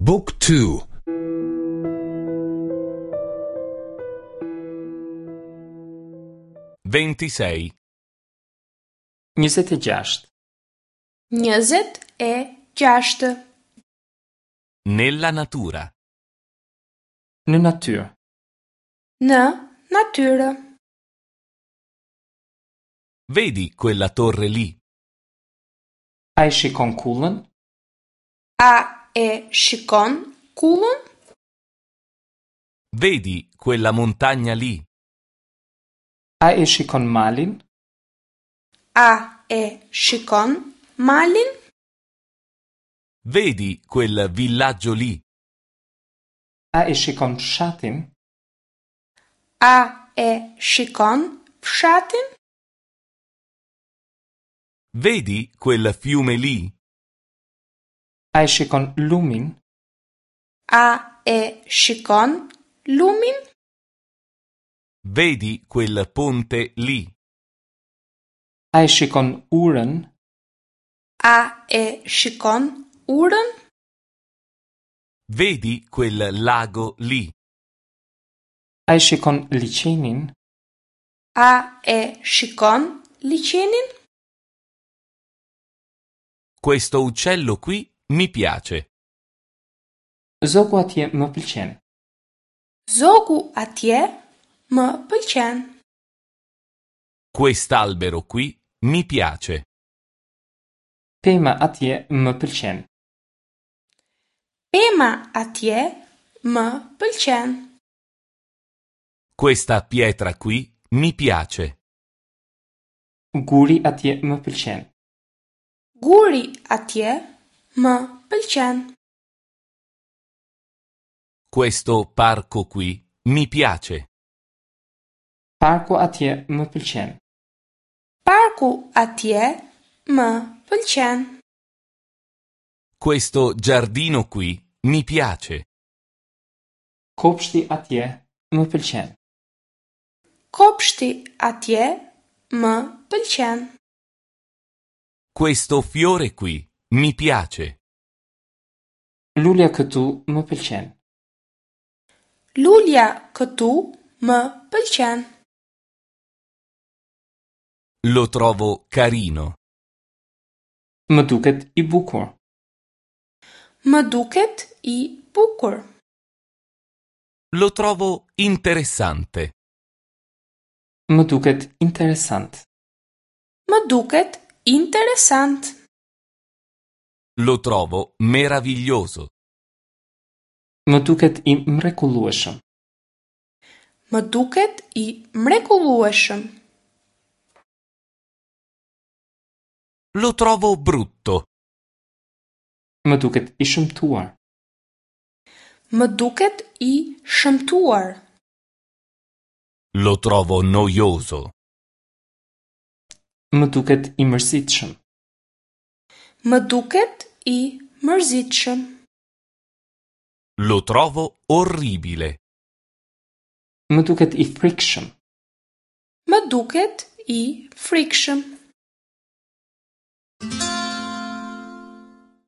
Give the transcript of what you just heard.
บุ๊กทู 26. 26. 26. Nella natura. Në natyrë. Në natyrë. Vedi quella torre lì? A e shikon kullën? A e shikon kullën? Vedi quella montagna lì? A e shikon malin? A e shikon malin? Vedi quel villaggio lì? A e shikon fshatin? A e shikon fshatin? Vedi quel fiume lì? A e shikon lumin? A e shikon lumin? Vedi quel ponte lì? A e shikon urën? A e shikon urën? Vedi quel lago lì? A e shikon liqenin? A e shikon liqenin? Questo uccello qui mi piace. Zogu atje më pëlqen. Zogu atje më pëlqen. Quest'albero qui mi piace. Pema atje më pëlqen. Pema atje më pëlqen. Questa pietra qui mi piace. Guri atje më pëlqen. Guri atje më pëlqen. Questo parco qui mi piace. Parku atje më pëlqen. Parku atje më pëlqen. Questo giardino qui mi piace. Kopshti atje më pëlqen. Kopshti atje më pëlqen. Questo fiore qui mi piace. Lulja këtu më pëlqen. Lulja këtu më pëlqen. Lo trovo carino. Më duket i bukur. Më duket i bukur. Lo trovo interessante. Më duket interesant. Më duket interesant. Lo trovo meraviglioso. Më duket i mrekullueshëm. Më duket i mrekullueshëm. Lo trovo brutto. Më duket i shëmtuar. Më duket i shëmtuar. Lo trovo noioso. Më duket i mërzitshëm. Më duket i mërzitshëm. Lo trovo orribile. Më duket i frikshëm. Më duket i frikshëm.